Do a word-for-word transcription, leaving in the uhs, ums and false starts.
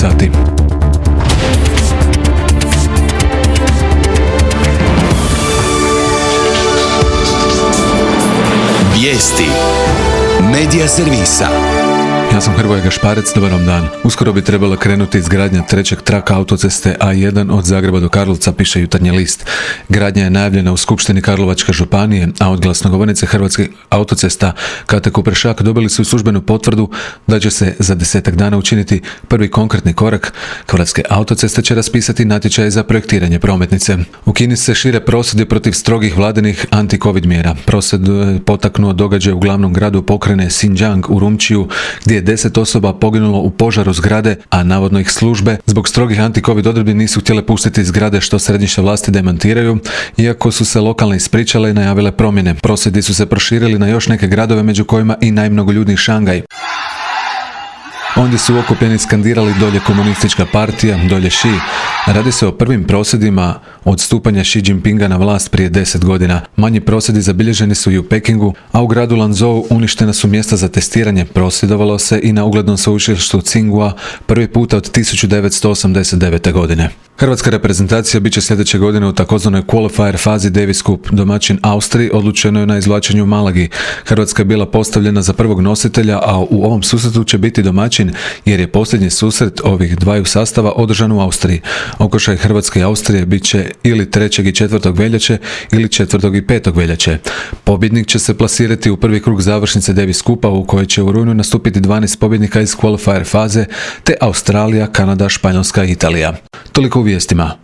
sati. Vijesti Medija servisa. Ja sam Hrvoje Gašparec, dobar vam dan. Uskoro bi trebala krenuti izgradnja trećeg traka autoceste A jedan od Zagreba do Karlovca, piše Jutarnji list. Gradnja je najavljena u Skupštini Karlovačke županije, a od glasnogovornice Hrvatskih autocesta Kate Kuprešak dobili su službenu potvrdu da će se za desetak dana učiniti prvi konkretni korak. Hrvatske autoceste će raspisati natječaje za projektiranje prometnice. U Kini se šire prosvjedi protiv strogih vladinih anti-covid mjera. Prosvjed potaknuo događaj u glavnom gradu pokrajine Xinjiang u Urumčiju, gdje je deset osoba poginulo u požaru zgrade, a navodno ih službe zbog strogih anti-covid odredbi nisu htjele pustiti iz zgrade, što središnje vlasti demantiraju, iako su se lokalne ispričale i najavile promjene. Prosvjedi su se proširili na još neke gradove, među kojima i najmnogoljudniji Šangaj. Ondje su okupljeni skandirali dolje komunistička partija, dolje Xi. Radi se o prvim prosvjedima od stupanja Xi Jinpinga na vlast prije deset godina. Manji prosvjedi zabilježeni su i u Pekingu, a u gradu Lanzhou uništena su mjesta za testiranje. Prosvjedovalo se i na uglednom sveučilištu Tsinghua prvi puta od tisuću devetsto osamdeset devete. godine. Hrvatska reprezentacija bit će sljedeće godine u takozvanoj qualifier fazi Davis Cup. Domaćin Austriji odlučeno je na izvlačenju u Malagi. Hrvatska je bila postavljena za prvog nositelja, a u ovom susretu će biti domaćin jer je posljednji susret ovih dvaju sastava održan u Austriji. Okršaj Hrvatske i Austrije bit će ili trećeg i četvrtog veljače ili četvrtog i petog veljače. Pobjednik će se plasirati u prvi krug završnice Davis Cupa, u kojoj će u rujnu nastupiti dvanaest pobjednika iz qualifier faze, te Australija, Kanada, Španjolska i Italija. Toliko u vijestima.